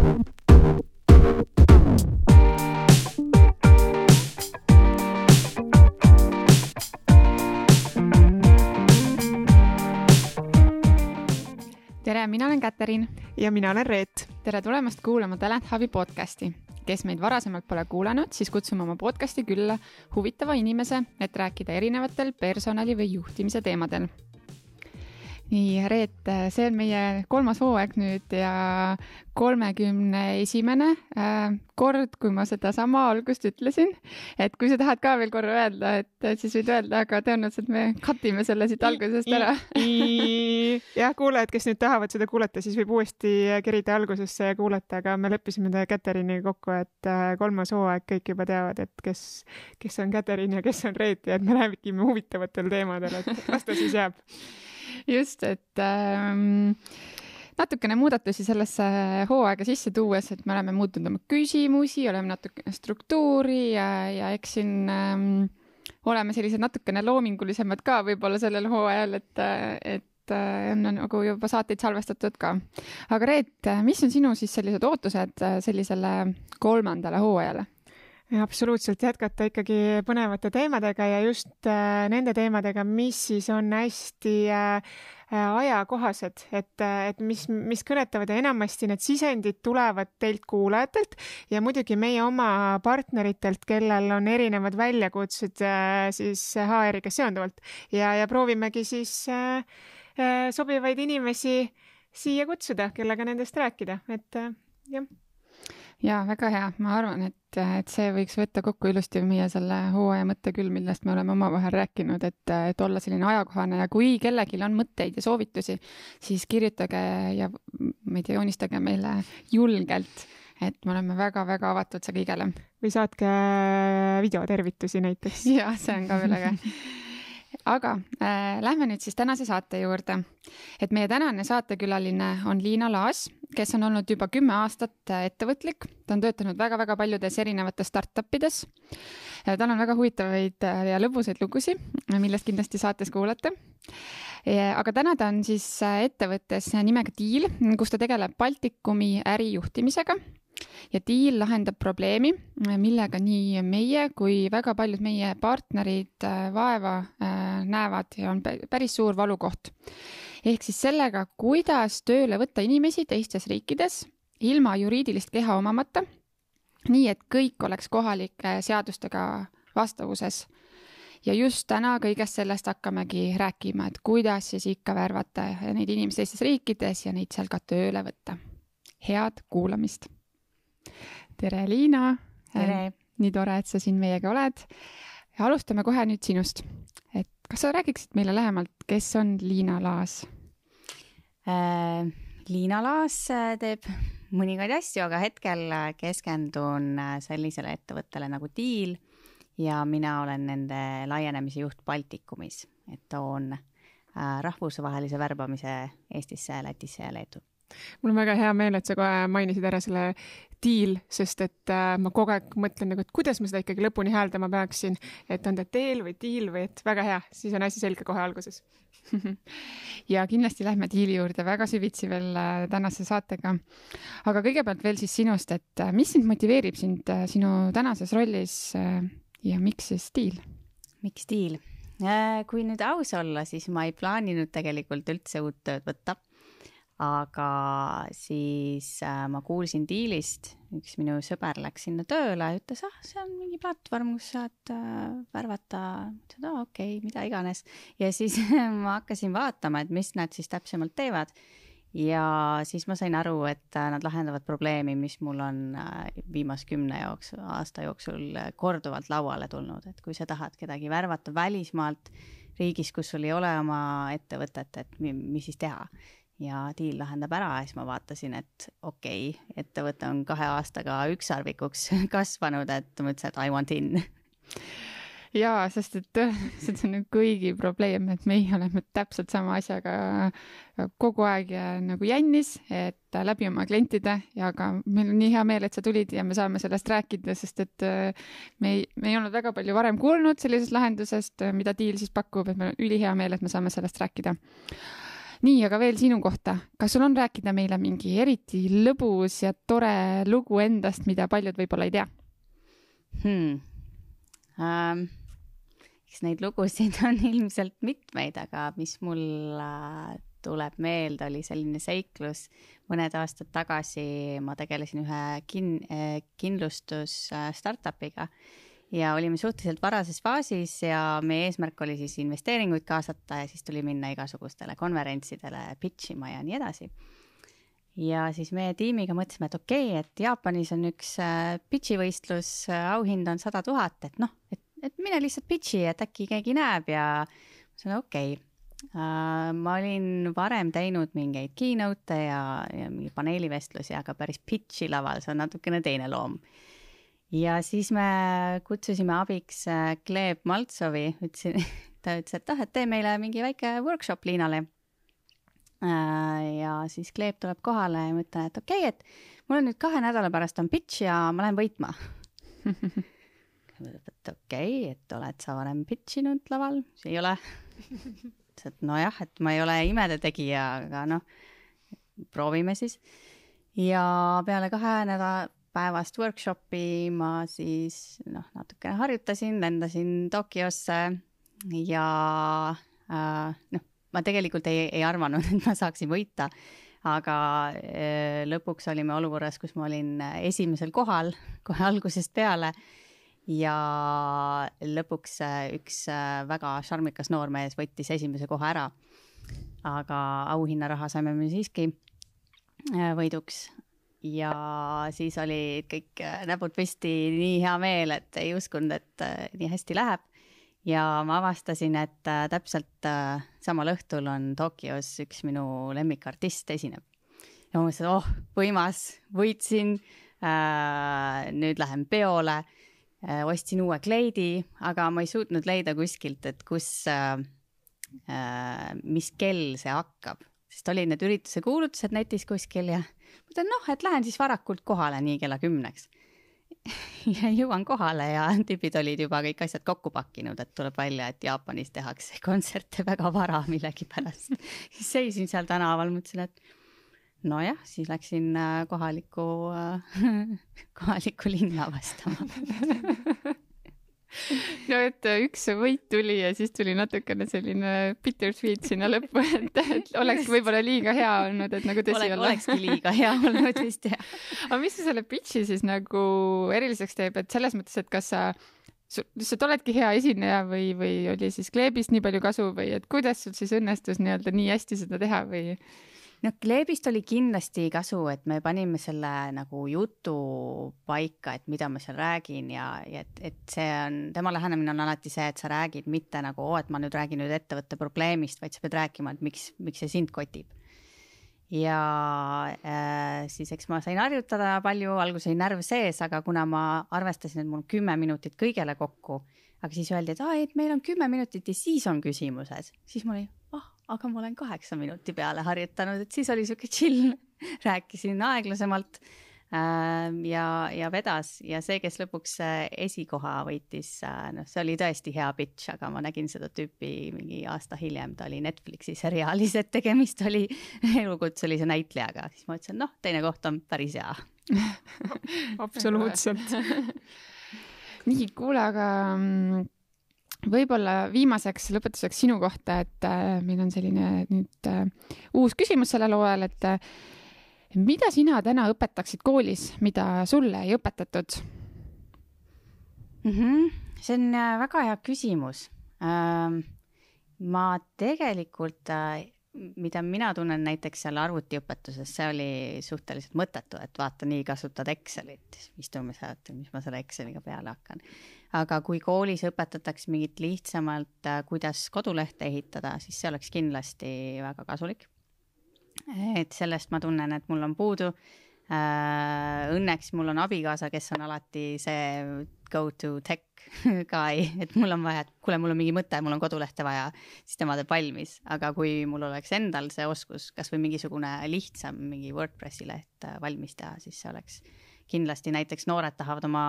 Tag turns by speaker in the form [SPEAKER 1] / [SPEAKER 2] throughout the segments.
[SPEAKER 1] Tere, mina olen Käterin.
[SPEAKER 2] Ja mina olen Reet.
[SPEAKER 1] Tere tulemast kuulama Talent Hubi podcasti. Kes meid varasemalt pole kuulanud, siis kutsume oma podcasti külla huvitava inimese, et rääkida erinevatel personali- või juhtimise teemadel. Nii, Reet, see on meie 3. hooaeg nüüd ja 31. kord, kui ma seda sama algust ütlesin. Et kui sa tahad ka veel korra öelda, et siis võid öelda, aga tõenäoliselt me katime selle siit algusest ära.
[SPEAKER 2] Jah, kuulajad, kes nüüd tahavad seda kuulata, siis võib uuesti kerida algusesse ja kuulata, aga me leppisime Käteriniga kokku, et 3. hooaeg kõik juba teavad, et kes on Käterin ja kes on Reet ja et me räägime huvitavatel teemadel, et las ta siis jääb.
[SPEAKER 1] Just, et natukene muudatusi sellesse hooaega sisse tuues, et me oleme muutnud oma küsimusi, oleme natukene struktuuri ja eks siin oleme sellised natukene loomingulisemad ka võib-olla sellel hooajal, et on nagu juba saateid salvestatud ka. Aga Reet, mis on sinu siis sellised ootused sellisele 3. hooajale?
[SPEAKER 2] Absoluutselt jätkata ikkagi põnevate teemadega ja just nende teemadega, mis siis on hästi ajakohased, et mis kõnetavad ja enamasti need sisendid tulevad teilt kuulajatelt ja muidugi meie oma partneritelt, kellel on erinevad väljakutsed siis HR-iga seonduvalt ja proovimegi siis sobivaid inimesi siia kutsuda, kellega nendest rääkida, et jah.
[SPEAKER 1] Ja, väga hea. Ma arvan, et see võiks võtta kokku ilusti meie selle hooaja mõtte küll, millest me oleme omavahel rääkinud, et olla selline ajakohane ja kui kellelgi on mõtteid ja soovitusi, siis kirjutage ja joonistage meile julgelt, et me oleme väga-väga avatud see kõigele.
[SPEAKER 2] Või saatke videotervitusi näiteks.
[SPEAKER 1] Ja, see on ka veel äge. Aga lähme nüüd siis tänase saate juurde. Et meie tänane saatekülaline on Liina Laas, kes on olnud juba 10 aastat ettevõtlik. Ta on töötanud väga-väga paljudes erinevates startupides. Tal on väga huvitavaid ja lõbusaid lugusid, millest kindlasti saates kuulate. Aga täna ta on siis ettevõttes nimega Deal, kus ta tegeleb Baltikumi ärijuhtimisega. Ja Deal lahendab probleemi, millega nii meie kui väga paljud meie partnerid vaeva näevad ja on päris suur valukoht. Ehk siis sellega, kuidas tööle võtta inimesi teistes riikides ilma juriidilist keha omamata, nii et kõik oleks kohalike seadustega vastavuses. Ja just täna kõigest sellest hakkamegi rääkima, et kuidas siis ikka värvata neid inimesi teistes riikides ja neid seal ka tööle võtta. Head kuulamist! Tere, Liina!
[SPEAKER 3] Tere!
[SPEAKER 1] Nii tore, et sa siin meiega oled. Ja alustame kohe nüüd sinust. Et kas sa räägiksid meile lähemalt, kes on Liina Laas?
[SPEAKER 3] Liina Laas teeb mõningaid asju, aga hetkel keskendun sellisele ettevõttele nagu Deal ja mina olen nende laienemise juht Baltikumis, et toon rahvusvahelise värbamise Eestisse, Lätisse ja Leetu.
[SPEAKER 2] Mul on väga hea meel, et sa kohe mainisid ära selle Deal, sest et ma kogu aeg mõtlen, et kuidas ma seda ikkagi lõpuni hääldama peaksin, et on ta Deal või Deal või et väga hea, siis on asi selge kohe alguses.
[SPEAKER 1] Ja kindlasti lähme Deali juurde väga süvitsi veel tänase saatega. Aga kõigepealt veel siis sinust, et mis sind motiveerib sind sinu tänases rollis ja miks siis Deal?
[SPEAKER 3] Miks Deal? Kui nüüd aus olla, siis ma ei plaaninud tegelikult üldse uut tööd võtta. Aga siis ma kuulsin Dealist, üks minu sõber läks sinna tööle ja ütles, see on mingi platvorm, kus saad värvata, okei, mida iganes. Ja siis ma hakkasin vaatama, et mis nad siis täpsemalt teevad. Ja siis ma sain aru, et nad lahendavad probleemi, mis mul on viimase 10 aasta jooksul korduvalt lauale tulnud. Et kui sa tahad kedagi värvata välismaalt riigis, kus sul ei ole oma ettevõtet, et mis siis teha. Ja Deal lahendab ära ja siis ma vaatasin, et okei, ettevõte on 2 aastaga ükssarvikuks kasvanud, et mõtlesin, et I want in.
[SPEAKER 1] Jaa, sest et see on kõigi probleem, et meie oleme täpselt sama asjaga kogu aeg nagu jännis, et läbi oma klientide ja ka meil on nii hea meel, et sa tulid ja me saame sellest rääkida, sest et me ei olnud väga palju varem kuulnud sellisest lahendusest, mida Deal siis pakub, et meil on ülihea meel, et me saame sellest rääkida. nii, aga veel sinu kohta. Kas sul on rääkida meile mingi eriti lõbus ja tore lugu endast, mida paljud võib-olla ei tea?
[SPEAKER 3] Eks neid lugusid on ilmselt mitmeid, aga mis mul tuleb meelde, oli selline seiklus. Mõned aastad tagasi ma tegelesin ühe kindlustus startupiga ja olime suhteliselt varases faasis ja meie eesmärk oli siis investeeringuid kaasata ja siis tuli minna igasugustele konverentsidele pitchima ja nii edasi. Ja siis meie tiimiga mõtlesime, et okei, et Jaapanis on üks pitchivõistlus, auhind on 100 000, et noh, et mine lihtsalt pitchi, et äkki keegi näeb ja see on okei. Ma olin varem teinud mingeid keynote ja mingi paneelivestlusi, aga päris pitchi laval, see on natukene teine loom. Ja siis me kutsusime abiks Gleb Maltsovi, ta ütles, et tee meile mingi väike workshop Liinale. Ja siis Gleb tuleb kohale ja ma ütlen, et okei, et mul on nüüd 2 nädala pärast on pitch ja ma lähen võitma. Et okei, et oled sa varem pitchinud laval? See ei ole. Et nojah, et ma ei ole imede tegija, aga noh, proovime siis. Ja peale 2 nädala päevast workshopi ma siis natukene harjutasin, lendasin Tokyosse ja ma tegelikult ei arvanud, et ma saaksin võita, aga lõpuks olime olukorras, kus ma olin esimesel kohal kohe algusest peale ja lõpuks üks väga šarmikas noormees võttis esimese koha ära, aga auhinnaraha saime me siiski võiduks. Ja siis oli kõik näpud püsti, nii hea meel, et ei uskunud, et nii hästi läheb. Ja ma avastasin, et täpselt samal õhtul on Tokyos üks minu lemmikartist esineb. Ja ma mõtlesin, võimas, võitsin, nüüd lähen peole, ostsin uue kleidi, aga ma ei suutnud leida kuskilt, et mis kell see hakkab. Sest oli need ürituse kuulutused netis kuskil ja mõtlen, et lähen siis varakult kohale nii kella 10. Ja jõuan kohale ja tüübid olid juba kõik asjad kokku pakkinud, et tuleb välja, et Jaapanis tehakse kontserte väga vara millegi pärast. Siis seisin seal tänaval, mõtlesin, et nojah, siis läksin kohalikku linna vastama.
[SPEAKER 1] No, et üks võit tuli ja siis tuli natukene selline bittersweet sinna lõppu, et oleks võib-olla liiga hea olnud, et nagu tõsi olla.
[SPEAKER 3] Olekski liiga hea olnud vist, jah.
[SPEAKER 1] Aga mis sa selle pitchi siis nagu eriliseks teeb, et selles mõttes, et kas sa lihtsalt oledki hea esineja või oli siis Glebist nii palju kasu või et kuidas sul siis õnnestus nii hästi seda teha või?
[SPEAKER 3] Glebist oli kindlasti kasu, et me panime selle nagu jutu paika, et mida ma seal räägin ja et see on, tema lähenemine on alati see, et sa räägid mitte nagu, et ma nüüd räägin nüüd ettevõtte probleemist, vaid sa pead rääkima, et miks see sind kotib. Ja siis eks ma sain harjutada palju, alguses oli närv sees, aga kuna ma arvestasin, et mul 10 minutit kõigele kokku, aga siis öeldi, et meil on 10 minutit ja siis on küsimused, siis mul oli, aga ma olen 8 minuti peale harjutanud, et siis oli siuke chill, rääkisin aeglasemalt ja vedas ja see, kes lõpuks esikoha võitis, see oli tõesti hea pitch, aga ma nägin seda tüüpi mingi aasta hiljem, ta oli Netflixi seriaalis, et tegemist oli elukutselise näitlejaga, siis ma ütlesin, teine koht on päris hea.
[SPEAKER 2] Absoluutselt.
[SPEAKER 1] Nii, kuule, aga võib-olla viimaseks lõpetuseks sinu kohta, et meil on selline nüüd uus küsimus sellel hooajal, et mida sina täna õpetaksid koolis, mida sulle ei õpetatud?
[SPEAKER 3] See on väga hea küsimus. Ma tegelikult, mida mina tunnen näiteks seal arvutiõpetuses, see oli suhteliselt mõttetu, et vaata, nii kasutad Excelit, istume sealt, mis ma selle Exceliga peale hakkan. Aga kui koolis õpetatakse mingit lihtsamalt, kuidas kodulehte ehitada, siis see oleks kindlasti väga kasulik. Et sellest ma tunnen, et mul on puudu. Õnneks mul on abikaasa, kes on alati see go to tech guy, et mul on vaja, et kuule, mul on mingi mõte, mul on kodulehte vaja, siis tema teeb valmis. Aga kui mul oleks endal see oskus, kas või mingisugune lihtsam mingi WordPressi leht valmis teha, siis see oleks kindlasti, näiteks noored tahavad oma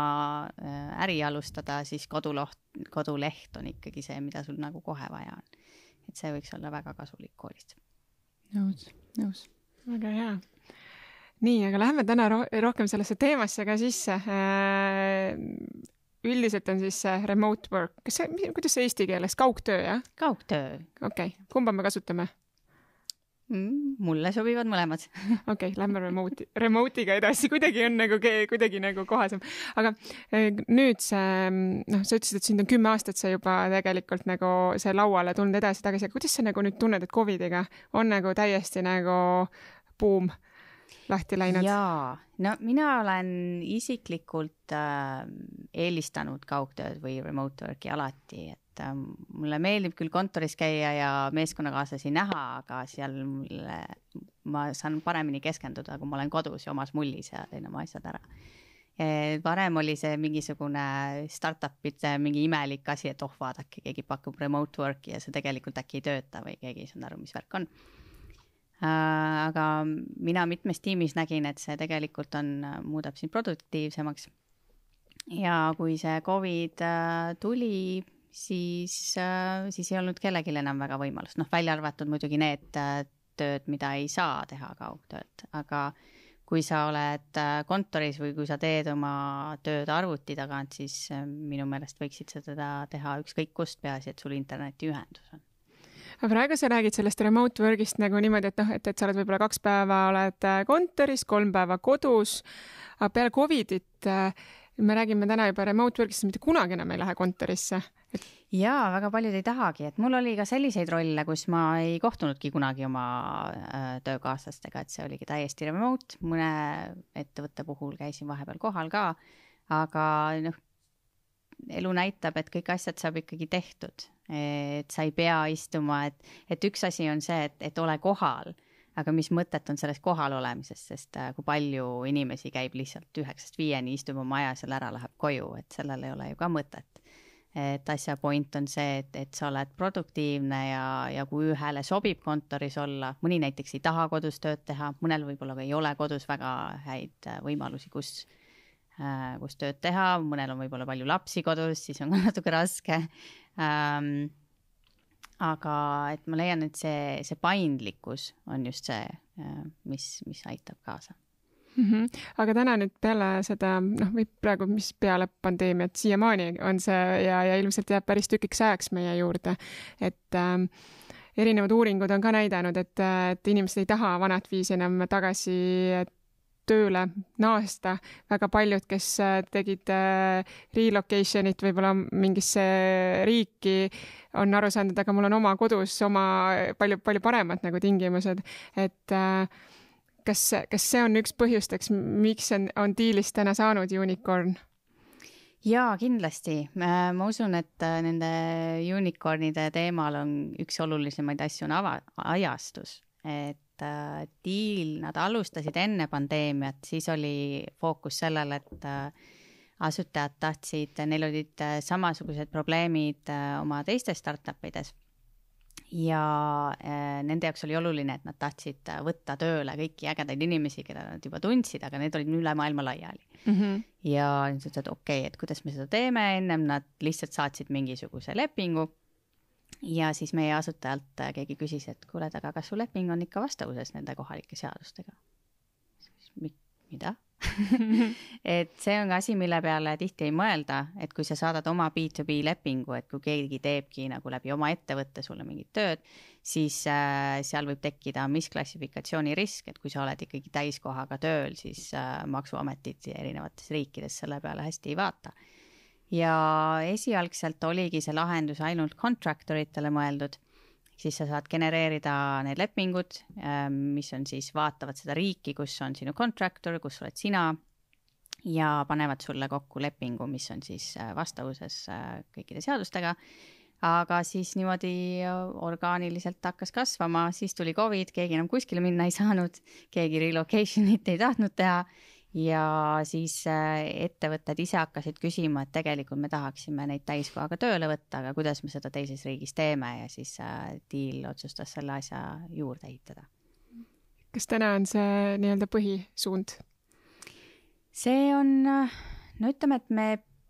[SPEAKER 3] äri alustada, siis koduleht on ikkagi see, mida sul nagu kohe vaja on. Et see võiks olla väga kasulik koolist.
[SPEAKER 1] nõus.
[SPEAKER 2] Väga hea. Nii, aga läheme täna rohkem sellesse teemasse ka sisse. Üldiselt on siis remote work. Kuidas see eesti keeles? Kaugtöö, jah?
[SPEAKER 3] Kaugtöö.
[SPEAKER 2] Okei. Kumba me kasutame?
[SPEAKER 3] Mulle sobivad mõlemad.
[SPEAKER 2] Okei, lähme remote'iga edasi. Kuidagi on nagu kohasem. Aga nüüd sa ütlesid, et sind on 10 aastat see juba tegelikult nagu see lauale tulnud edasi-tagasi. Kuidas sa nagu nüüd tunned, et COVIDiga on nagu täiesti nagu buum lahti läinud?
[SPEAKER 3] Jaa, no mina olen isiklikult eelistanud kaugtööd või remote work'i alati, et mulle meeldib küll kontoris käia ja meeskonnakaaslasi näha, aga seal ma saan paremini keskenduda, kui ma olen kodus ja omas mullis ja teen oma asjad ära. Varem oli see mingisugune startup'ide mingi imelik asi, et vaadake, keegi pakub remote work'i ja see tegelikult äkki ei tööta või keegi ei saanud aru, mis värk on. Aga mina mitmes tiimis nägin, et see tegelikult muudab sind produktiivsemaks. Ja kui see COVID tuli, siis ei olnud kellelgi enam väga võimalust. Välja arvatud muidugi need tööd, mida ei saa teha kaugtööd. Aga kui sa oled kontoris või kui sa teed oma tööd arvuti tagant, siis minu meelest võiksid seda teha ükskõik kust, peaasi, et sul internetiühendus on.
[SPEAKER 2] Aga praegu sa räägid sellest remote work'ist nagu niimoodi, et sa oled võib-olla 2 päeva oled kontoris, 3 päeva kodus. Aga peale COVIDit me räägime täna juba remote work'ist, mitte kunagi enam ei lähe kontorisse.
[SPEAKER 3] Jaa, väga paljud ei tahagi. Et mul oli ka selliseid rolle, kus ma ei kohtunudki kunagi oma töökaaslastega, et see oligi täiesti remote. Mõne ettevõtte puhul käisin vahepeal kohal ka, aga elu näitab, et kõik asjad saab ikkagi tehtud. Et sa ei pea istuma, et üks asi on see, et ole kohal, aga mis mõtet on sellest kohal olemisest, sest kui palju inimesi käib lihtsalt 9-5 istub oma aja seal ära, läheb koju, et sellel ei ole ju ka mõtet. Et asja point on see, et sa oled produktiivne ja kui ühele sobib kontoris olla, mõni näiteks ei taha kodus tööd teha, mõnel võib-olla ei ole kodus väga häid võimalusi, kus tööd teha, mõnel on võib-olla palju lapsi kodus, siis on ka natuke raske. Aga et ma leian, et see paindlikkus on just see, mis aitab kaasa.
[SPEAKER 2] Aga täna nüüd peale seda, või praegu mis peale pandeemiat siiamaani on see ja ilmselt jääb päris tükiks ajaks meie juurde, et erinevad uuringud on ka näidanud, et inimesed ei taha vanat viisi enam tagasi tööle naasta. Väga paljud, kes tegid relocation'it võib-olla mingisse riiki, on aru saanud, aga mul on oma kodus palju paremad nagu tingimused. Et kas see on üks põhjusteks, miks on Dealist täna saanud unicorn?
[SPEAKER 3] Jaa, kindlasti. Ma usun, et nende unicornide teemal on üks olulisemaid asju on ajastus. Et Deal, nad alustasid enne pandeemiat, siis oli fookus sellel, et asutajad tahtsid, neil olid samasugused probleemid oma teistes startupides ja nende jaoks oli oluline, et nad tahtsid võtta tööle kõiki ägedaid inimesi, keda nad juba tundsid, aga need olid üle maailma laiali. Ja nad ütlesid, et okei, et kuidas me seda teeme, ennem nad lihtsalt saatsid mingisuguse lepingu. Ja siis meie asutajalt keegi küsis, et kuule, aga kas su leping on ikka vastavuses nende kohalike seadustega? Mida? Et see on asi, mille peale tihti ei mõelda, et kui sa saadad oma B2B lepingu, et kui keegi teebki nagu läbi oma ettevõtte sulle mingit tööd, siis seal võib tekkida misklassifikatsiooni risk, et kui sa oled ikkagi täiskohaga tööl, siis maksuametid erinevates riikides selle peale hästi ei vaata. Ja esialgselt oligi see lahendus ainult contractoritele mõeldud, siis sa saad genereerida need lepingud, mis on siis vaatavad seda riiki, kus on sinu contractor, kus oled sina ja panevad sulle kokku lepingu, mis on siis vastavuses kõikide seadustega. Aga siis niimoodi orgaaniliselt hakkas kasvama, siis tuli COVID, keegi enam kuskile minna ei saanud, keegi relocation'it ei tahtnud teha. Ja siis ettevõtted ise hakkasid küsima, et tegelikult me tahaksime neid täiskohaga tööle võtta, aga kuidas me seda teises riigis teeme ja siis Deal otsustas selle asja juurde ehitada.
[SPEAKER 2] Kas täna on see nii-öelda põhisuund?
[SPEAKER 3] See on, ütleme, et me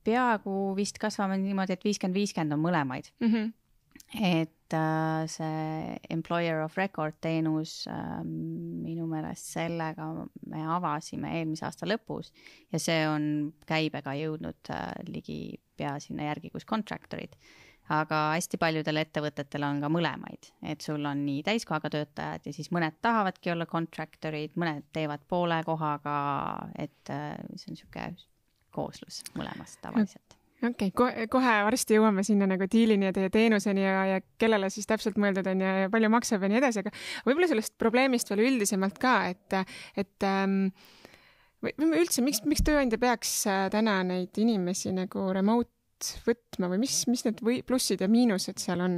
[SPEAKER 3] peaaegu vist kasvame niimoodi, et 50-50 on mõlemaid. et see employer of record teenus minu meelest sellega me avasime eelmise aasta lõpus ja see on käibega jõudnud ligi pea sinna järgi, kus contractorid. Aga hästi paljudel ettevõtetel on ka mõlemaid, et sul on nii täiskohaga töötajad ja siis mõned tahavadki olla contractorid, mõned teevad poole kohaga, et see on niisugune kooslus mõlemast tavaliselt.
[SPEAKER 2] Okei, kohe varsti jõuame sinna nagu diilini ja teie teenuseni ja kellele siis täpselt mõeldud on ja palju maksab ja nii edasi, aga võib-olla sellest probleemist veel üldisemalt ka, et või üldse, miks tööandja peaks täna neid inimesi nagu remote võtma või mis need plussid ja miinused seal on?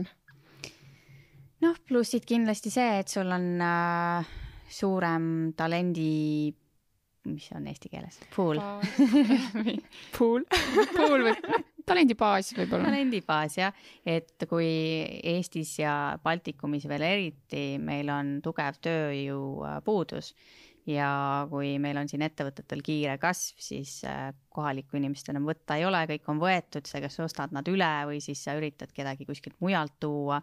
[SPEAKER 3] Noh, plussid kindlasti see, et sul on suurem talendi, mis on eesti keeles? Pool.
[SPEAKER 2] Pool
[SPEAKER 1] või talendibaas võib-olla.
[SPEAKER 3] Talendibaas, jah. Et kui Eestis ja Baltikumis veel eriti, meil on tugev tööjõu puudus ja kui meil on siin ettevõtetel kiire kasv, siis kohalikku inimest enam võtta ei ole, kõik on võetud, sa kas ostad nad üle või siis sa üritad kedagi kuskilt mujalt tuua.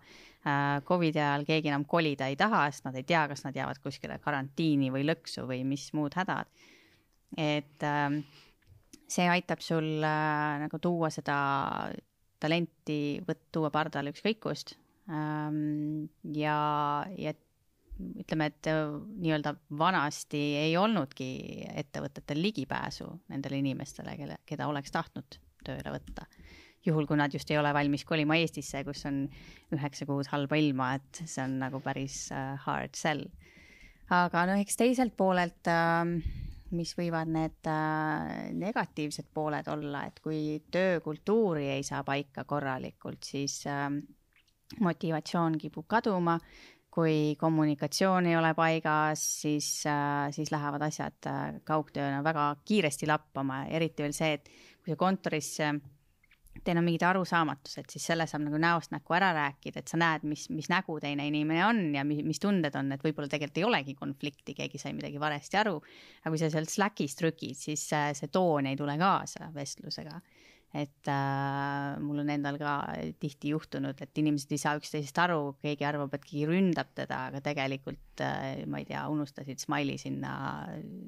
[SPEAKER 3] Covidi ajal keegi enam kolida ei taha, sest nad ei tea, kas nad jäävad kuskile karantiini või lõksu või mis muud hädad. Et see aitab sul nagu tuua seda talenti, tuua pardale ükskõikust ja ütleme, et nii-öelda vanasti ei olnudki ettevõtetel ligipääsu nendele inimestele, keda oleks tahtnud tööle võtta. Juhul, kui nad just ei ole valmis kolima Eestisse, kus on 9 kuud halba ilma, et see on nagu päris hard sell. Aga eks teiselt poolelt, mis võivad need negatiivsed pooled olla, et kui töökultuuri ei saa paika korralikult, siis motivatsioon kipub kaduma. Kui kommunikatsioon ei ole paigas, siis lähevad asjad kaugtööna väga kiiresti lappama. Eriti veel see, et kui see kontoris teil on mingid arusaamatused, siis selle saab nagu näost näkku ära rääkida, et sa näed, mis nägu teine inimene on ja mis tunded on, et võib-olla tegelikult ei olegi konflikti, keegi sai midagi valesti aru. Aga kui sa sealt Slackis trükid, siis see toon ei tule kaasa vestlusega. Et mul on endal ka tihti juhtunud, et inimesed ei saa üksteisest aru, keegi arvab, et keegi ründab teda, aga tegelikult, ma ei tea, unustasid smiley sinna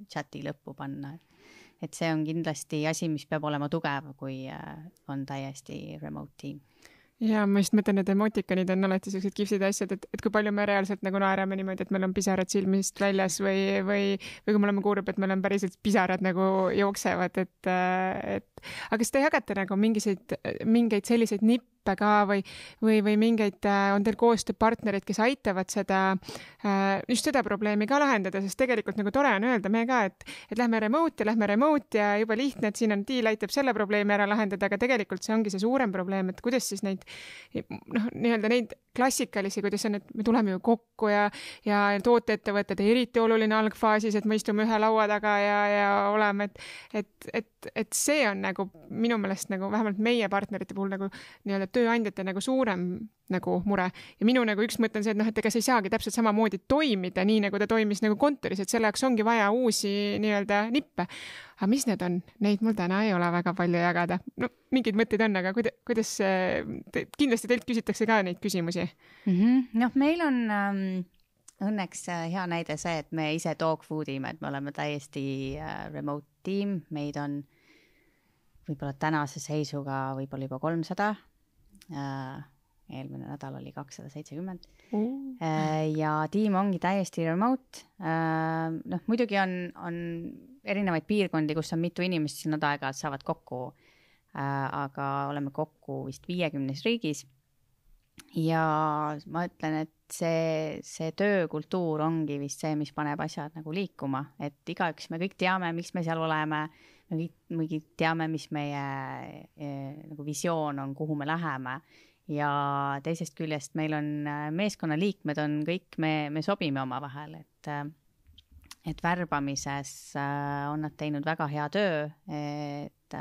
[SPEAKER 3] chati lõppu panna. Et see on kindlasti asi, mis peab olema tugev, kui on täiesti remote team.
[SPEAKER 2] Ja ma just mõtlen, et emotikonid on alati sellised kihvsid asjad, et kui palju me reaalselt nagu naerame niimoodi, et meil on pisarad silmist väljas või kui me oleme kuulnud, et meil on päriselt pisarad nagu jooksevad, et aga kas te jagate nagu mingeid selliseid nippe ka või mingeid, on teil koostööpartnerid, kes aitavad just seda probleemi ka lahendada, sest tegelikult nagu tore on öelda me ka, et lähme remote ja juba lihtne, et siin on diil aitab selle probleemi ära lahendada, aga tegelikult see ongi see suurem probleem, et kuidas siis neid klassikalisi, kuidas on, et me tuleme ju kokku ja tooteettevõtted eriti oluline algfaasis, et me istume ühe laua taga ja oleme, et see on nagu minu meelest nagu vähemalt meie partnerite puhul nagu nii-öelda tööandjate nagu suurem nagu mure. Ja minu nagu üks mõte on see, et ega see ei saagi täpselt samamoodi toimida nii, nagu ta toimis nagu kontoris, et selle jaoks ongi vaja uusi nii-öelda nippe. Aga mis need on? Neid mul täna ei ole väga palju jagada. No, mingid mõtted on, aga kuidas kindlasti teilt küsitakse ka neid küsimusi?
[SPEAKER 3] Meil on õnneks hea näide see, et me ise dogfoodime, et me oleme täiesti remote team, meid on võib-olla tänase seisuga võib-olla juba 300, eelmine nädal oli 270 ja tiim ongi täiesti remote. Muidugi on erinevaid piirkondi, kus on mitu inimest, siin nad aeg-ajalt saavad kokku, aga oleme kokku vist 50 riigis ja ma ütlen, et see töökultuur ongi vist see, mis paneb asjad nagu liikuma, et igaüks me kõik teame, miks me seal oleme, me kõik teame, mis meie nagu visioon on, kuhu me läheme ja teisest küljest meil on meeskonnaliikmed on kõik, me sobime oma vahel, et värbamises on nad teinud väga hea töö, et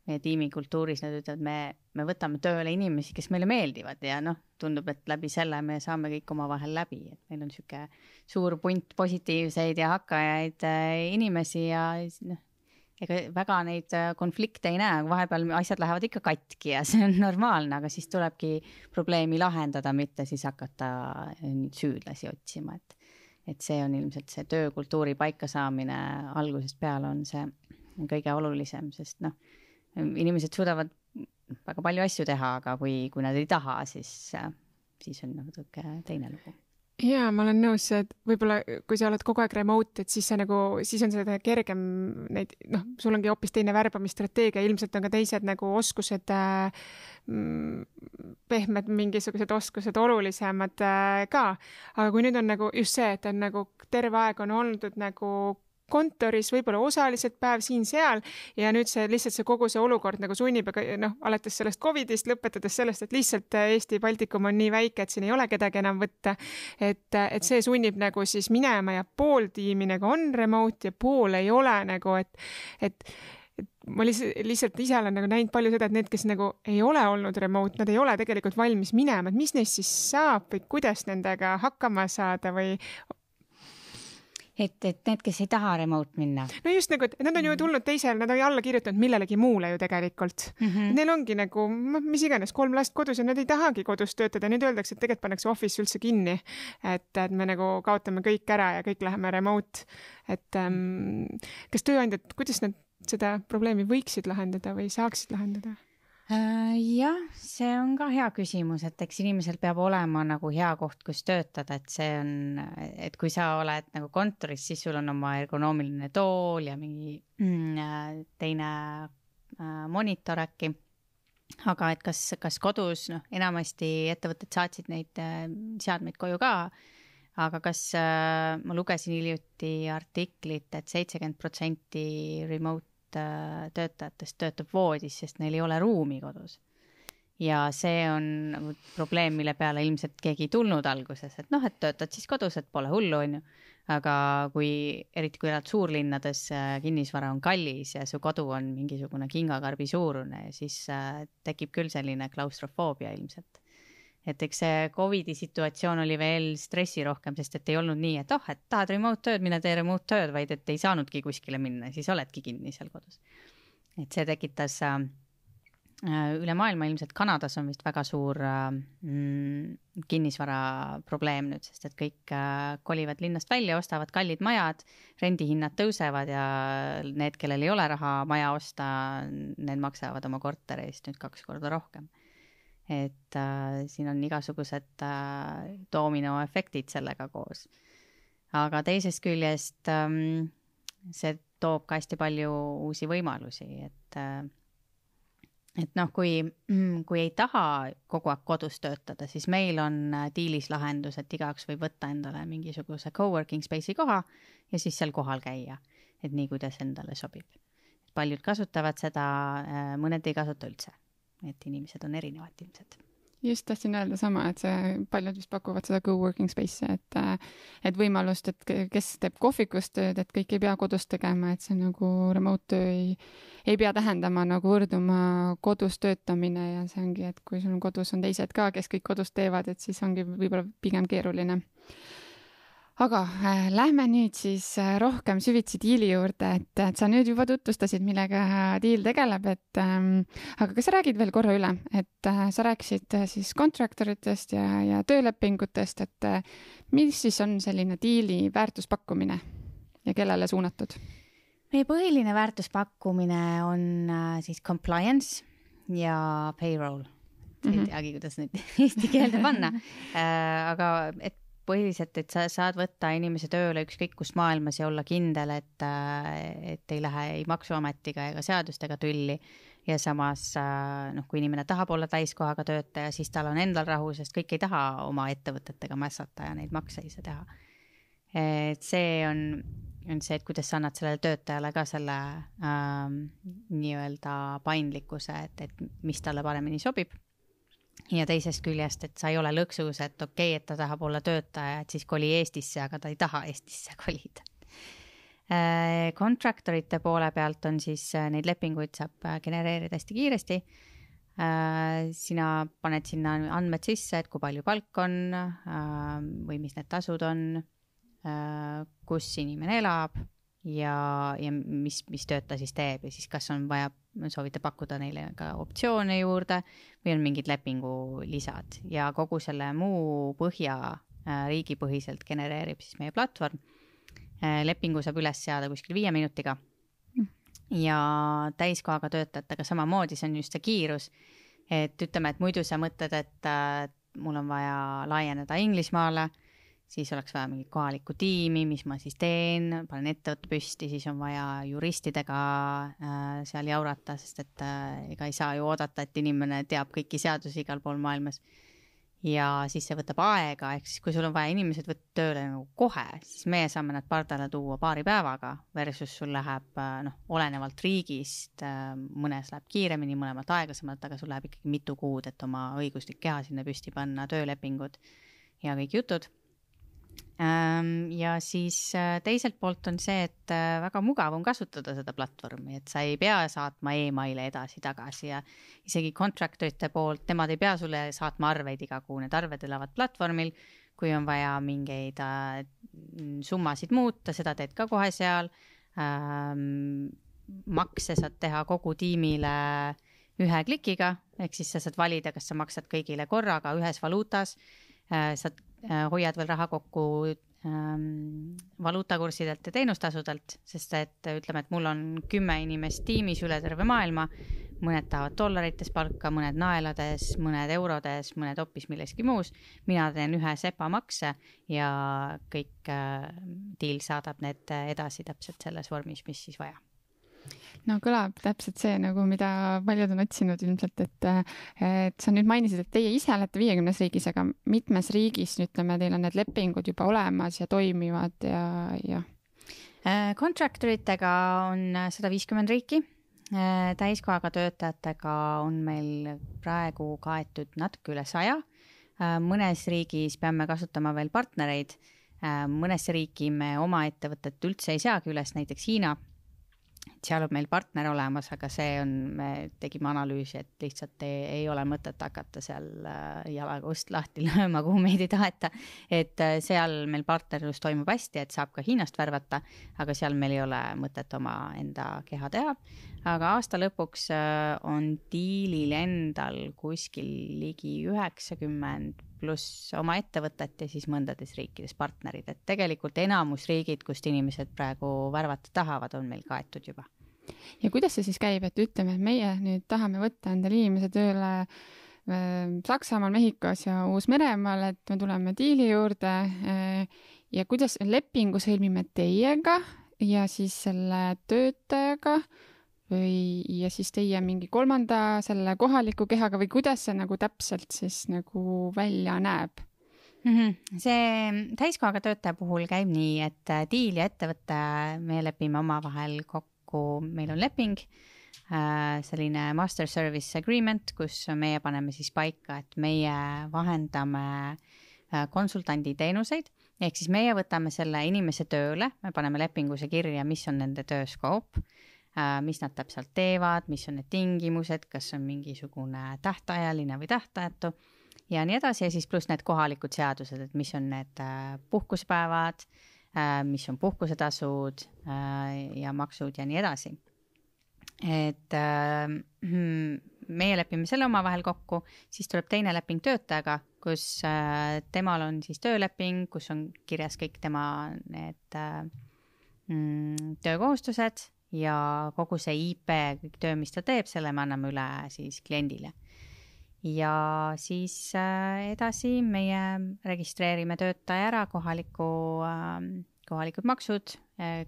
[SPEAKER 3] meie tiimikultuuris nad ütlevad, me võtame tööle inimesi, kes meile meeldivad ja tundub, et läbi selle me saame kõik oma vahel läbi, et meil on niisugune suur punt positiivseid ja hakkajaid inimesi ja ega väga neid konflikte ei näe, vahepeal asjad lähevad ikka katki ja see on normaalne, aga siis tulebki probleemi lahendada, mitte siis hakata süüdlasi otsima, et see on ilmselt see töökultuuri paikasaamine algusest peale on see kõige olulisem, sest inimesed suudavad väga palju asju teha, aga kui nad ei taha, siis on natuke teine lugu.
[SPEAKER 2] Jaa, ma olen nõus, et võib-olla kui sa oled kogu aeg remote, et siis on seda kergem neid, sul ongi hoopis teine värbamisstrateegia, ilmselt on ka teised nagu oskused, pehmed mingisugused oskused olulisemad ka. Aga kui nüüd on nagu just see, et on nagu terve aeg on olnud nagu kontoris, võib-olla osaliselt päev siin-seal ja nüüd lihtsalt kogu see olukord nagu sunnib, alates sellest COVIDist, lõpetades sellest, et lihtsalt Eesti Baltikum on nii väike, et siin ei ole kedagi enam võtta, et see sunnib nagu siis minema ja pool tiimi nagu on remote ja pool ei ole nagu, et ma lihtsalt ise olen nagu näinud palju seda, et need, kes nagu ei ole olnud remote, nad ei ole tegelikult valmis minema, et mis neist siis saab või kuidas nendega hakkama saada või
[SPEAKER 3] et need, kes ei taha remote minna.
[SPEAKER 2] No just nagu, et nad on ju tulnud teisel, nad on alla kirjutanud millelegi muule ju tegelikult. Neil ongi nagu, mis iganes, 3 last kodus ja nad ei tahagi kodus töötada. Nüüd öeldakse, et tegelikult pannakse office üldse kinni, et me nagu kaotame kõik ära ja kõik läheme remote. Et kas tööandjad, kuidas nad seda probleemi võiksid lahendada või saaksid lahendada?
[SPEAKER 3] Jah, see on ka hea küsimus, et eks inimesel peab olema nagu hea koht, kus töötada, et see on, et kui sa oled nagu kontoris, siis sul on oma ergonoomiline tool ja mingi teine monitor äkki. Aga et kas kodus, enamasti ettevõtted saatsid neid seadmeid koju ka, aga kas ma lugesin hiljuti artiklit, et 70% remote töötajatest töötab voodis, sest neil ei ole ruumi kodus. Ja see on probleem, mille peale ilmselt keegi ei tulnud alguses, et et töötad siis kodus, et pole hullu, on ju. Aga eriti kui elad suurlinnades, kinnisvara on kallis ja su kodu on mingisugune kingakarbi suurune, siis tekib küll selline klaustrofoobia ilmselt. Et eks see COVIDi situatsioon oli veel stressi rohkem, sest et ei olnud nii, et et tahad remote tööd, mine tee remote tööd, vaid et ei saanudki kuskile minna, siis oledki kinni seal kodus. Et see tekitas üle maailma, ilmselt Kanadas on vist väga suur kinnisvara probleem nüüd, sest et kõik kolivad linnast välja, ostavad kallid majad, rendihinnad tõusevad ja need, kellel ei ole raha maja osta, need maksavad oma korteri eest nüüd 2 korda rohkem. Et siin on igasugused dominoefektid sellega koos. Aga teisest küljest see toob ka hästi palju uusi võimalusi, et kui ei taha kogu aeg kodus töötada, siis meil on diilis lahendus, et igaüks võib võtta endale mingisuguse coworking space'i koha ja siis seal kohal käia, et nii kuidas endale sobib. Paljud kasutavad seda, mõned ei kasuta üldse. Et inimesed on erinevad ilmselt.
[SPEAKER 1] Just tahtsin öelda sama, et paljud vist pakuvad seda co-working space'i, et võimalust, et kes teeb kohvikust tööd, et kõik ei pea kodus tegema, et see nagu remote töö ei pea tähendama nagu võrduma kodus töötamine ja see ongi, et kui sul kodus on teised ka, kes kõik kodus teevad, et siis ongi võib-olla pigem keeruline. Aga lähme nüüd siis rohkem süvitsi diili juurde, et sa nüüd juba tutvustasid, millega diil tegeleb, aga kas sa räägid veel korra üle, et sa rääkisid siis kontraktoritest ja töölepingutest, et mis siis on selline diili väärtuspakkumine ja kellele suunatud?
[SPEAKER 3] Meie põhiline väärtuspakkumine on siis compliance ja payroll. Ei teagi, kuidas neid eesti keelde panna, aga et põhiliselt, et sa saad võtta inimese tööle ükskõik kus maailmas ja olla kindel, et ei lähe ei maksuametiga ega seadustega tülli ja samas, kui inimene tahab olla täiskohaga töötaja, siis tal on endal rahu, sest kõik ei taha oma ettevõtetega mässata ja neid makse ei saa teha. Et see on see, et kuidas sa annad sellele töötajale ka selle nii-öelda paindlikkuse, et mis talle paremini sobib. Ja teisest küljest, et sa ei ole lõksus, et okei, et ta tahab olla töötaja, et siis koli Eestisse, aga ta ei taha Eestisse kolida. Kontraktorite poole pealt on siis neid lepinguid saab genereerida hästi kiiresti. Sina paned sinna andmed sisse, et kui palju palk on või mis need tasud on, kus inimene elab ja mis tööd ta siis teeb ja siis kas on vaja, soovite pakkuda neile ka optsioone juurde või on mingid lepingu lisad ja kogu selle muu põhja riigipõhiselt genereerib siis meie platvorm. Lepingu saab üles seada kuskil 5 minutiga ja täiskohaga töötajatega samamoodi, see on just see kiirus, et ütleme, et muidu sa mõtled, et mul on vaja laieneda Inglismaale, siis oleks vaja mingit kohalikku tiimi, mis ma siis teen, panen ettevõtte püsti, siis on vaja juristidega seal jaurata, sest et ega ei saa ju oodata, et inimene teab kõiki seadusi igal pool maailmas. Ja siis see võtab aega, ehk siis kui sul on vaja inimesed võtta tööle nagu kohe, siis meie saame nad pardale tuua 2 päevaga versus sul läheb olenevalt riigist, mõnes läheb kiiremini, mõlemalt aeglasemalt, aga sul läheb ikkagi mitu kuud, et oma õiguslik keha sinna püsti panna, töölepingud ja kõik jutud. Ja siis teiselt poolt on see, et väga mugav on kasutada seda platvormi, et sa ei pea saatma e-maile edasi-tagasi ja isegi contractorite poolt, nemad ei pea sulle saatma arveid iga kuu, need arved elavad platvormil, kui on vaja mingeid summasid muuta, seda teed ka kohe seal, makse saad teha kogu tiimile 1 klikiga, ehk siis sa saad valida, kas sa maksad kõigile korraga ühes valuutas, saad hoiad veel raha kokku valuutakursidelt ja teenustasudelt, sest et ütleme, et mul on 10 inimest tiimis üle terve maailma, mõned tahavad dollarites palka, mõned naelades, mõned eurodes, mõned hoopis milleski muus. Mina teen 1 SEPA makse ja kõik deal saadab need edasi täpselt selles vormis, mis siis vaja.
[SPEAKER 1] No kõlab täpselt see, nagu mida paljud on otsinud ilmselt, et sa nüüd mainisid, et teie ise olete 50 riigis, aga mitmes riigis, ütleme, teil on need lepingud juba olemas ja toimivad ja.
[SPEAKER 3] Contractoritega on 150 riiki, täiskohaga töötajatega on meil praegu kaetud natuke üle 100. Mõnes riigis peame kasutama veel partnereid, mõnesse riiki me oma ettevõtet üldse ei seagi üles, näiteks Hiina. Seal on meil partner olemas, aga see on, me tegime analüüsi, et lihtsalt ei ole mõtet hakata seal jalaga ust lahti lööma, kuhu meid ei taheta. Et seal meil partnerlus toimub hästi, et saab ka Hiinast värvata, aga seal meil ei ole mõtet oma enda keha teha. Aga aasta lõpuks on diilil endal kuskil ligi 90 pluss oma ettevõtet ja siis mõndades riikides partnerid. Et tegelikult enamus riigid, kust inimesed praegu värvata tahavad, on meil kaetud juba.
[SPEAKER 1] Ja kuidas see siis käib, et ütleme, et meie nüüd tahame võtta endale inimese tööle Saksamaal, Mehhikos ja Uus-Meremaal, et me tuleme diili juurde ja kuidas lepingu sõlmime teiega ja siis selle töötajaga ja siis teie mingi 3. selle kohaliku kehaga või kuidas see nagu täpselt siis nagu välja näeb?
[SPEAKER 3] See täiskohaga töötaja puhul käib nii, et diil ja ettevõtte me lepime omavahel kokku, meil on leping, selline master service agreement, kus meie paneme siis paika, et meie vahendame konsultandi teenuseid, ehk siis meie võtame selle inimese tööle, me paneme lepinguse kirja, mis on nende tööskoop, mis nad täpselt teevad, mis on need tingimused, kas on mingisugune tähtajaline või tähtajatu ja nii edasi ja siis pluss need kohalikud seadused, et mis on need puhkuspäevad, mis on puhkusetasud ja maksud ja nii edasi. Et meie lepime selle omavahel kokku, siis tuleb teine leping töötajaga, kus temal on siis tööleping, kus on kirjas kõik tema need töökohustused ja kogu see IP, kõik töö, mis ta teeb, selle me anname üle siis kliendile. Ja siis edasi meie registreerime töötaja ära, kohalikud maksud,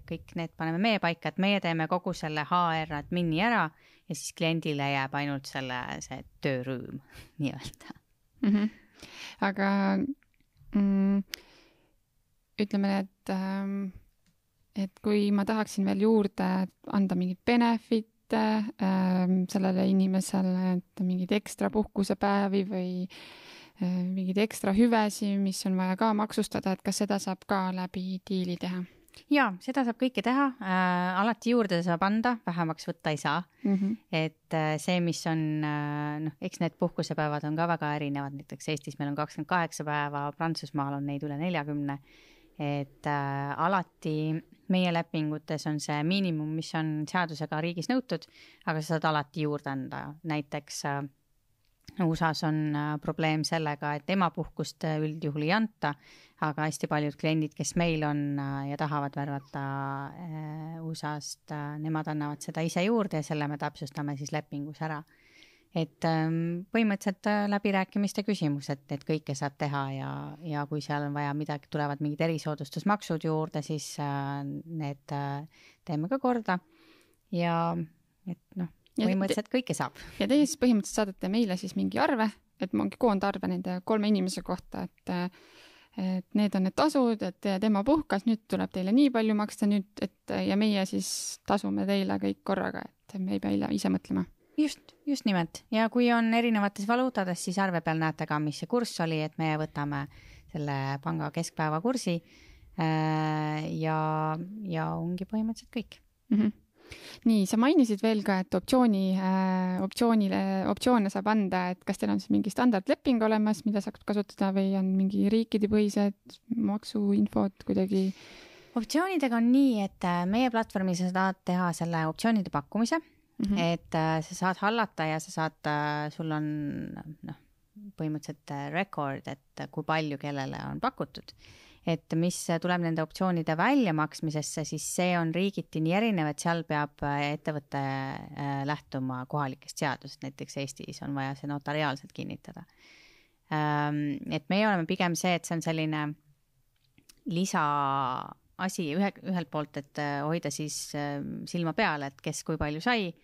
[SPEAKER 3] kõik need paneme meie paika, et meie teeme kogu selle HR admini ära ja siis kliendile jääb ainult see töörüüm nii-öelda.
[SPEAKER 1] Aga ütleme, et kui ma tahaksin veel juurde anda mingit benefite sellele inimesele, et mingid ekstra puhkusepäevi või mingid ekstra hüvesi, mis on vaja ka maksustada, et kas seda saab ka läbi diili teha?
[SPEAKER 3] Jaa, seda saab kõike teha. Alati juurde saab anda, vähemaks võtta ei saa. Et see, mis on, eks need puhkusepäevad on ka väga erinevad. Näiteks Eestis meil on 28 päeva, Prantsusmaal on neid üle 40. et alati meie lepingutes on see miinimum, mis on seadusega riigis nõutud, aga sa saad alati juurde anda. Näiteks USA-s on probleem sellega, et emapuhkust üldjuhul ei anta, aga hästi paljud kliendid, kes meil on ja tahavad värvata USA-st, nemad annavad seda ise juurde ja selle me täpsustame siis lepingus ära. Et põhimõtteliselt läbirääkimiste küsimus, et kõike saab teha ja kui seal on vaja midagi, tulevad mingid erisoodustusmaksud juurde, siis need teeme ka korda ja et põhimõtteliselt kõike saab.
[SPEAKER 1] Ja teie siis põhimõtteliselt saadate meile siis mingi arve, et mingi koondarve nende 3 inimese kohta, et need on need tasud, et tema puhkas, nüüd tuleb teile nii palju maksta nüüd, ja meie siis tasume teile kõik korraga, et me ei pea ise mõtlema.
[SPEAKER 3] Just nimelt. Ja kui on erinevates valuutades, siis arve peal näete ka, mis see kurss oli, et me võtame selle panga keskpäeva kursi ja ongi põhimõtteliselt kõik.
[SPEAKER 1] Nii, sa mainisid veel ka, et optsioone saab anda, et kas teil on siis mingi standardleping olemas, mida saab kasutada või on mingi riikidepõhised maksuinfod kuidagi?
[SPEAKER 3] Optsioonidega on nii, et meie platvormil sa saad teha selle optsioonide pakkumise, et sa saad hallata ja sa saad, sul on põhimõtteliselt record, et kui palju kellele on pakutud. Et mis tuleb nende optsioonide väljamaksmisesse, siis see on riigiti nii erinev, et seal peab ettevõtte lähtuma kohalikest seadusest, näiteks Eestis on vaja see notariaalselt kinnitada. Et meie oleme pigem see, et see on selline lisaasi ühelt poolt, et hoida siis silma peal, et kes kui palju sai,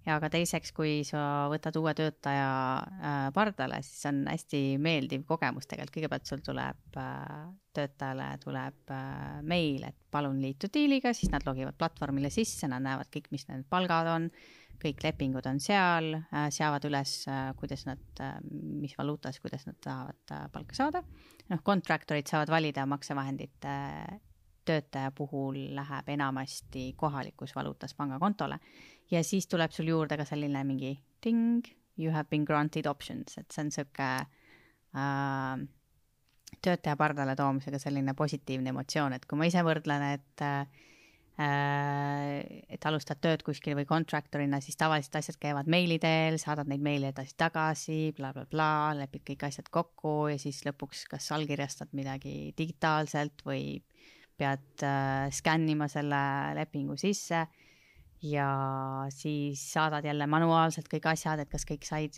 [SPEAKER 3] ja ka teiseks, kui sa võtad uue töötaja pardale, siis on hästi meeldiv kogemus tegelikult. Kõigepealt sul tuleb töötajale tuleb meil, et palun liitu diiliga, siis nad logivad platvormile sisse, nad näevad kõik, mis need palgad on, kõik lepingud on seal, seavad üles, kuidas nad, mis valuutas, kuidas nad tahavad palka saada. Kontraktorid saavad valida maksevahendite töötaja puhul läheb enamasti kohalikus valuutas pangakontole ja siis tuleb sul juurde ka selline mingi ding, you have been granted options, et see on sõke töötaja pardale toomisega selline positiivne emotsioon, et kui ma ise võrdlen, et alustad tööd kuskil või kontraktorina, siis tavaliselt asjad käivad meili teel, saadad neid meili edasi tagasi, bla, bla, bla, lepid kõik asjad kokku ja siis lõpuks kas allkirjastad midagi digitaalselt või pead skännima selle lepingu sisse ja siis saadad jälle manuaalselt kõik asjad, et kas kõik said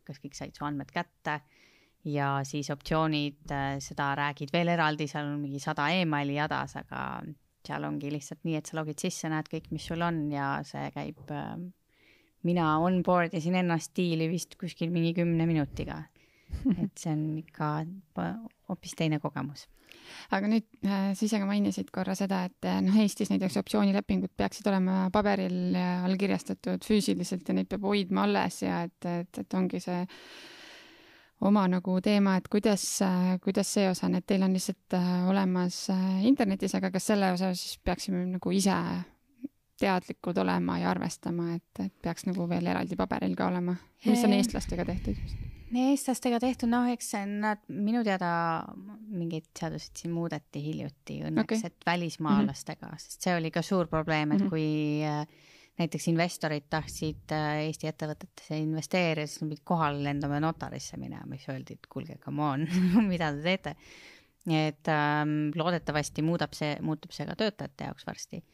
[SPEAKER 3] kas kõik said su andmed kätte ja siis optsioonid, seda räägid veel eraldi, seal on mingi 100 emaili jadas, aga seal ongi lihtsalt nii, et sa logid sisse, näed kõik, mis sul on ja see käib, mina onboard isin ennast diili vist kuskil mingi 10 minutiga, et see on ikka hoopis teine kogemus.
[SPEAKER 1] Aga nüüd sa ise ka mainisid korra seda, et Eestis näiteks optsioonilepingud peaksid olema paberil allkirjastatud füüsiliselt ja neid peab hoidma alles ja et ongi see oma nagu teema, et kuidas see osa on, et teil on lihtsalt olemas internetis, aga kas selle osa siis peaksime nagu ise teadlikud olema ja arvestama, et peaks nagu veel eraldi paberil ka olema, mis on eestlastega tehtud?
[SPEAKER 3] Eestlastega tehtud, eks nad minu teada mingid seadused siin muudeti hiljuti õnneks, et välismaalastega, sest see oli ka suur probleem, et kui näiteks investorid tahtsid Eesti ettevõtetesse investeerida, siis nad pidid kohale lendama notarisse minema, mis öeldi, et kuulge, come on, mida te teete. Et loodetavasti muutub see ka töötajate jaoks varsti.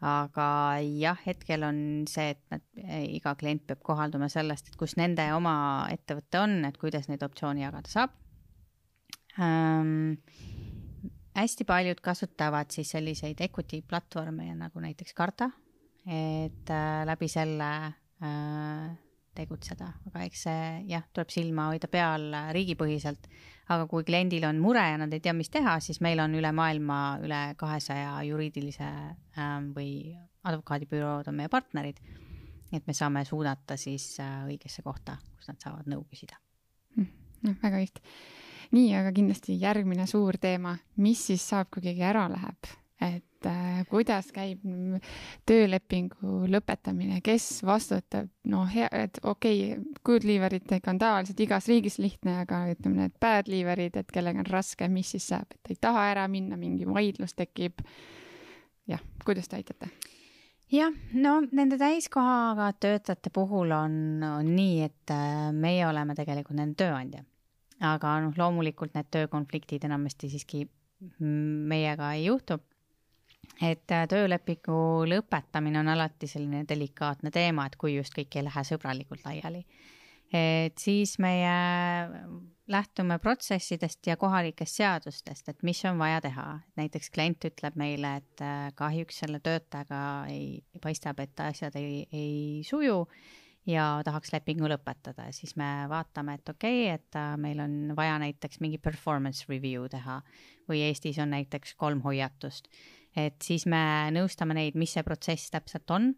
[SPEAKER 3] Aga jah, hetkel on see, et iga klient peab kohalduma sellest, et kus nende oma ettevõtte on, et kuidas neid optsiooni jagada saab. Hästi paljud kasutavad siis selliseid equity platvorme nagu näiteks Karta, et läbi selle tegutseda, aga eks see tuleb silma hoida peal riigipõhiselt, aga kui kliendil on mure ja nad ei tea, mis teha, siis meil on üle maailma üle 200 juriidilise või advokaadibürood on meie partnerid, et me saame suunata siis õigesse kohta, kus nad saavad nõu küsida.
[SPEAKER 1] Väga õigt. Nii, aga kindlasti järgmine suur teema, mis siis saab, kui keegi ära läheb, et et kuidas käib töölepingu lõpetamine, kes vastutab, et okei, good leaveritega on tavaliselt igas riigis lihtne, aga ütleme need bad leaverid, et kellega on raske, mis siis saab, et ei taha ära minna, mingi vaidlus tekib. Jah, kuidas te aitate?
[SPEAKER 3] Jah, no nende täiskohaga töötajate puhul on nii, et meie oleme tegelikult nende tööandja. Aga loomulikult need töökonfliktid enamasti siiski meiega ei juhtu. Et töölepingu lõpetamine on alati selline delikaatne teema, et kui just kõik ei lähe sõbralikult laiali. Et siis meie lähtume protsessidest ja kohalikest seadustest, et mis on vaja teha. Näiteks klient ütleb meile, et kahjuks selle töötajaga paistab, et asjad ei suju ja tahaks lepingu lõpetada. Siis me vaatame, et okei, et meil on vaja näiteks mingi performance review teha või Eestis on näiteks 3 hoiatust. Et siis me nõustame neid, mis see protsess täpselt on,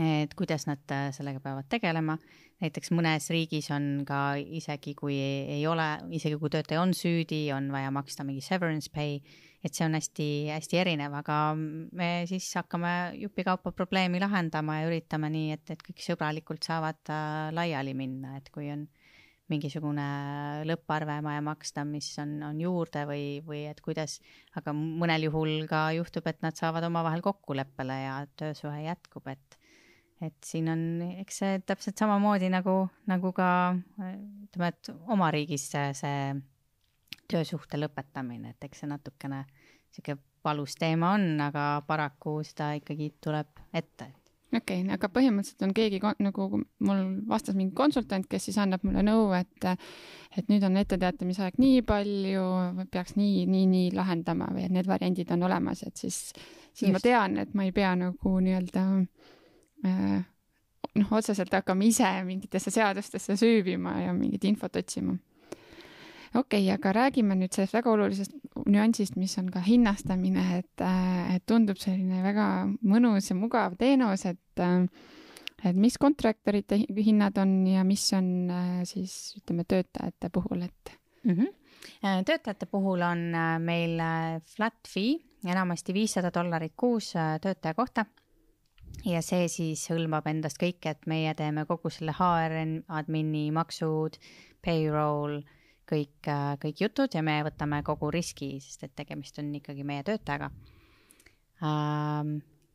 [SPEAKER 3] et kuidas nad sellega peavad tegelema. Näiteks mõnes riigis on ka isegi kui töötaja on süüdi, on vaja maksta mingi severance pay, et see on hästi erinev, aga me siis hakkame jupikaupa probleemi lahendama ja üritame nii, et kõik sõbralikult saavad laiali minna, et kui on mingisugune lõpparve vaja maksta, mis on juurde või et kuidas, aga mõnel juhul ka juhtub, et nad saavad omavahel kokkuleppele ja töösuhe jätkub, et siin on, eks see täpselt samamoodi nagu ka ütleme, et oma riigis see töösuhte lõpetamine, et eks see natukene siuke valus teema on, aga paraku seda ikkagi tuleb ette.
[SPEAKER 1] Okei, aga põhimõtteliselt on keegi, nagu mul vastas mingi konsultant, kes siis annab mulle nõu, et nüüd on etteteatamisaeg nii palju, peaks nii lahendama või et need variandid on olemas, et siis ma tean, et ma ei pea nagu nii-öelda otseselt hakkama ise mingitesse seadustesse süübima ja mingit infot otsima. Okei, aga räägime nüüd sellest väga olulisest nüansist, mis on ka hinnastamine, et tundub selline väga mõnus ja mugav teenus, et mis kontraktorite hinnad on ja mis on siis ütleme töötajate puhul, et
[SPEAKER 3] Töötajate puhul on meil flat fee, enamasti $500 kuus töötaja kohta. Ja see siis hõlmab endast kõik, et meie teeme kogu selle HR admini, maksud, payroll, kõik jutud ja me võtame kogu riski, sest et tegemist on ikkagi meie töötajaga.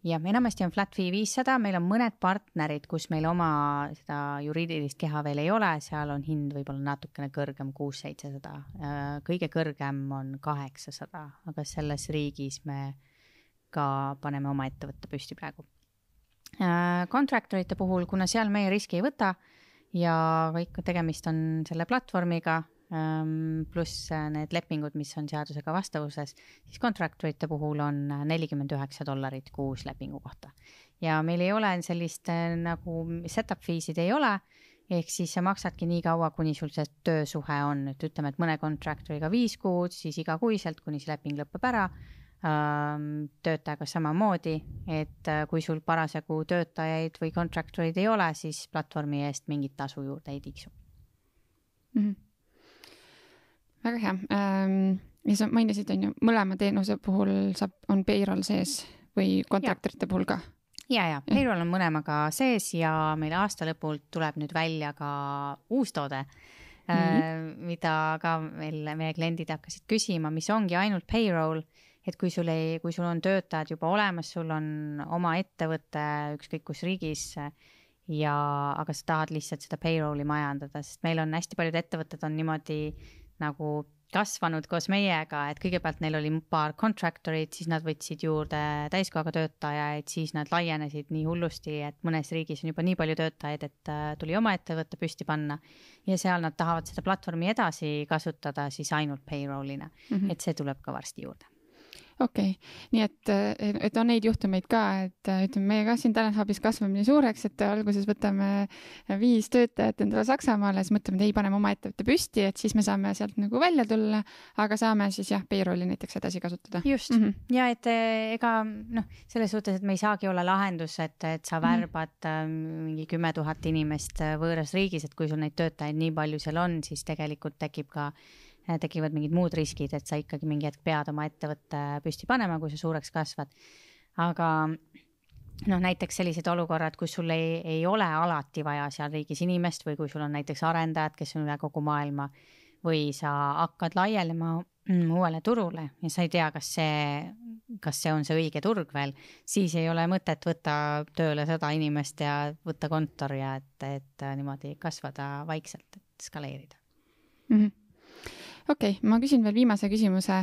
[SPEAKER 3] Ja enamasti on flat fee 500, meil on mõned partnerid, kus meil oma seda juriidilist keha veel ei ole, seal on hind võib-olla natukene kõrgem, 600-700, kõige kõrgem on 800, aga selles riigis me ka paneme oma ettevõtte püsti praegu. Kontraktorite puhul, kuna seal meie riski ei võta ja kõik tegemist on selle platvormiga, pluss need lepingud, mis on seadusega vastavuses, siis kontraktorite puhul on $49 kuus lepingu kohta. Ja meil ei ole sellist nagu setup feesid ei ole, ehk siis sa maksadki nii kaua, kuni sul see töösuhe on. Et ütleme, et mõne kontraktoriga 5 kuud, siis igakuiselt, kuni see leping lõpeb ära, töötajaga samamoodi, et kui sul parasjagu töötajaid või kontraktorid ei ole, siis platvormi eest mingit tasu juurde ei tiksu.
[SPEAKER 1] Väga hea. Ja sa mainisid, on ju, mõlema teenuse puhul on payroll sees või kontraktorite puhul ka?
[SPEAKER 3] Ja, payroll on mõlemaga sees ja meil aasta lõpult tuleb nüüd välja ka uus toode, mida ka meie kliendid hakkasid küsima, mis ongi ainult payroll, et kui sul on töötajad juba olemas, sul on oma ettevõte ükskõik kus riigis, aga sa tahad lihtsalt seda payrolli majandada, sest meil on hästi paljud ettevõtted on niimoodi nagu kasvanud koos meiega, et kõigepealt neil oli paar kontraktorit, siis nad võtsid juurde täiskohaga töötajaid, siis nad laienesid nii hullusti, et mõnes riigis on juba nii palju töötajaid, et tuli oma ettevõtte püsti panna ja seal nad tahavad seda platvormi edasi kasutada siis ainult payrollina, et see tuleb ka varsti juurde.
[SPEAKER 1] Okei, nii et on neid juhtumeid ka, et ütleme, meie ka siin Talent Hubis kasvame nii suureks, et alguses võtame 5 töötajat endale Saksamaale, siis mõtleme, et ei paneme oma ettevõtte püsti, et siis me saame sealt nagu välja tulla, aga saame siis payrolli näiteks edasi kasutada.
[SPEAKER 3] Just, ja et ega selles suhtes, et me ei saagi olla lahendus, et sa värbad mingi 10 000 inimest võõras riigis, et kui sul neid töötajaid nii palju seal on, siis tegelikult tekib ka tekivad mingid muud riskid, et sa ikkagi mingi hetk pead oma ettevõtte püsti panema, kui sa suureks kasvad. Aga näiteks sellised olukorrad, kus sul ei ole alati vaja seal riigis inimest või kui sul on näiteks arendajad, kes on üle kogu maailma või sa hakkad laielema uuele turule ja sa ei tea, kas see on see õige turg veel, siis ei ole mõtet võtta tööle 100 inimest ja võtta kontor ja et niimoodi kasvada vaikselt, et skaleerida.
[SPEAKER 1] Okei, ma küsin veel viimase küsimuse,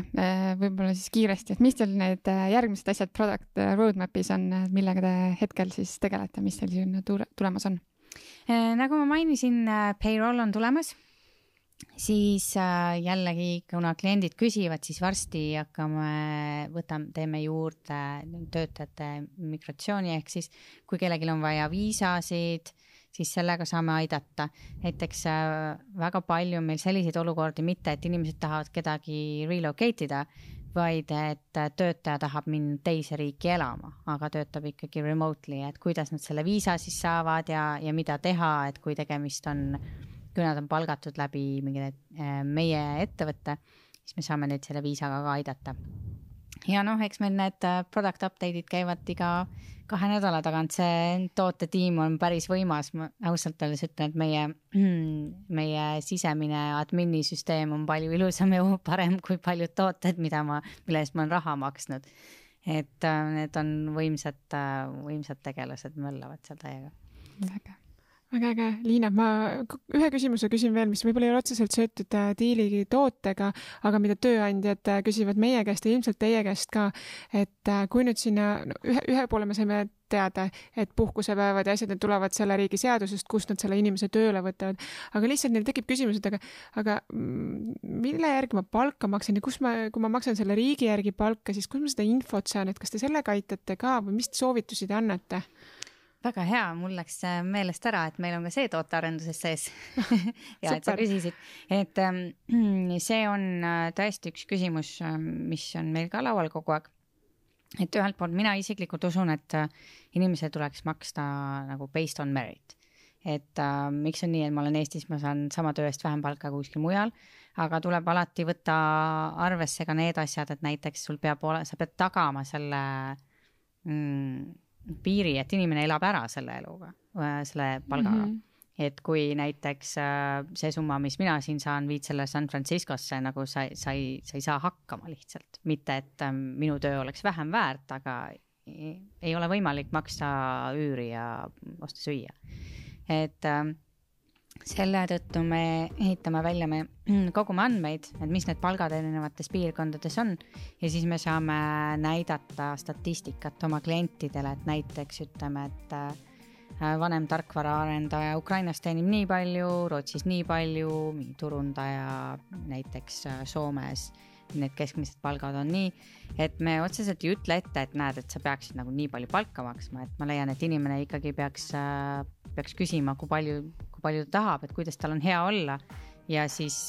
[SPEAKER 1] võib-olla siis kiiresti, et mis teil need järgmised asjad product roadmapis on, millega te hetkel siis tegelete, mis teil siin tulemas on?
[SPEAKER 3] Nagu ma mainisin, payroll on tulemas, siis jällegi, kuna kliendid küsivad, siis varsti teeme juurde töötajate migratsiooni, ehk siis kui kellelgi on vaja viisasid, siis sellega saame aidata. Näiteks väga palju meil selliseid olukordi, mitte et inimesed tahavad kedagi relocate ida, vaid et töötaja tahab minna teise riiki elama, aga töötab ikkagi remotely, et kuidas nad selle viisa siis saavad ja mida teha, et kui nad on palgatud läbi meie ettevõtte, siis me saame neid selle viisaga ka aidata. Ja eks meil need product update'id käivad iga 2 nädala tagant, see tootetiim on päris võimas, ma ausalt öeldes ütlen, et meie sisemine adminisüsteem on palju ilusam ja parem kui paljud tooted, mille eest ma olen raha maksnud. Et need on võimsad tegelased, möllavad seal täiega.
[SPEAKER 2] Väga äge. Liina, ma ühe küsimuse küsin veel, mis võib-olla ei ole otseselt söötud diili tootega, aga mida tööandjad küsivad meie käest ja ilmselt teie käest ka, et kui nüüd sinna, ühe poole me saime teada, et puhkusepäevad ja asjad tulevad selle riigi seadusest, kus nad selle inimese tööle võtavad, aga lihtsalt neil tekib küsimus, et aga mille järgi ma palka maksan ja kui ma maksan selle riigi järgi palka, siis kus ma seda infot saan, et kas te sellega aitate ka või mis soovitusi te annate?
[SPEAKER 3] Väga hea, mul läks meelest ära, et meil on ka see tootearenduses sees ja et sa küsisid, et see on tõesti üks küsimus, mis on meil ka laual kogu aeg. Et ühelt poolt mina isiklikult usun, et inimesele tuleks maksta nagu based on merit. Et miks on nii, et ma olen Eestis, ma saan sama töö eest vähem palka kuskil mujal, aga tuleb alati võtta arvesse ka need asjad, et näiteks sa pead tagama selle piiri, et inimene elab ära selle eluga, selle palgaga. Et kui näiteks see summa, mis mina siin saan, viid selle San Franciscosse, nagu sa ei saa hakkama lihtsalt. Mitte, et minu töö oleks vähem väärt, aga ei ole võimalik maksta üüri ja osta süüa. Et selle tõttu me ehitame välja, me kogume andmeid, et mis need palgad erinevates piirkondades on ja siis me saame näidata statistikat oma klientidele, et näiteks ütleme, et vanem tarkvaraarendaja Ukrainas teenib nii palju, Rootsis nii palju, turundaja näiteks Soomes, need keskmised palgad on nii, et me otseselt ei ütle ette, et näed, et sa peaksid nagu nii palju palka maksma, et ma leian, et inimene ikkagi peaks küsima, kui palju ta tahab, et kuidas tal on hea olla ja siis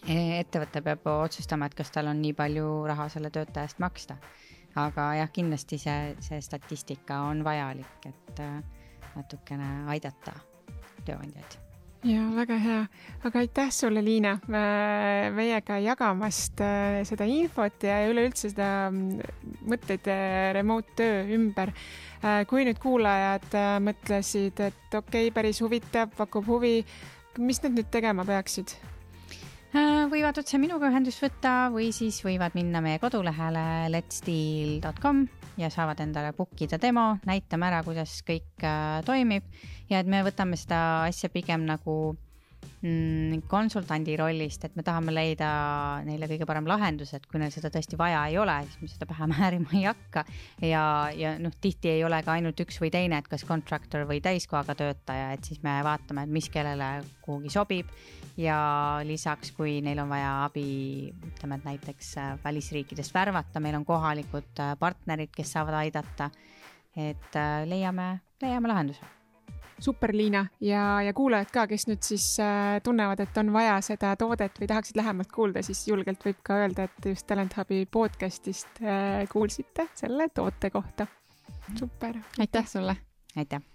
[SPEAKER 3] ettevõte peab otsustama, et kas tal on nii palju raha selle töötajast maksta. Aga jah, kindlasti see statistika on vajalik, et natukene aidata tööandjaid.
[SPEAKER 2] Ja väga hea, aga aitäh sulle, Liina, meiega jagamast seda infot ja üleüldse seda mõtteid remote töö ümber. Kui nüüd kuulajad mõtlesid, et okei, päris huvitav, pakub huvi, mis nad nüüd tegema peaksid?
[SPEAKER 3] Võivad otse minuga ühendust võtta või siis võivad minna meie kodulehele letsdeal.com ja saavad endale bookida demo, näitame ära, kuidas kõik toimib ja et me võtame seda asja pigem nagu konsultandi rollist, et me tahame leida neile kõige parem lahendus, et kui neil seda tõesti vaja ei ole, siis me seda pähe määrima ei hakka ja tihti ei ole ka ainult üks või teine, et kas contractor või täiskohaga töötaja, et siis me vaatame, et mis kellele kuhugi sobib ja lisaks, kui neil on vaja abi, ütleme, et näiteks välisriikidest värvata, meil on kohalikud partnerid, kes saavad aidata, et leiame lahenduse.
[SPEAKER 2] Super, Liina, ja kuulajad ka, kes nüüd siis tunnevad, et on vaja seda toodet või tahaksid lähemalt kuulda, siis julgelt võib ka öelda, et just Talent Hubi podcastist kuulsite selle toote kohta. Super.
[SPEAKER 1] Aitäh sulle.
[SPEAKER 3] Aitäh.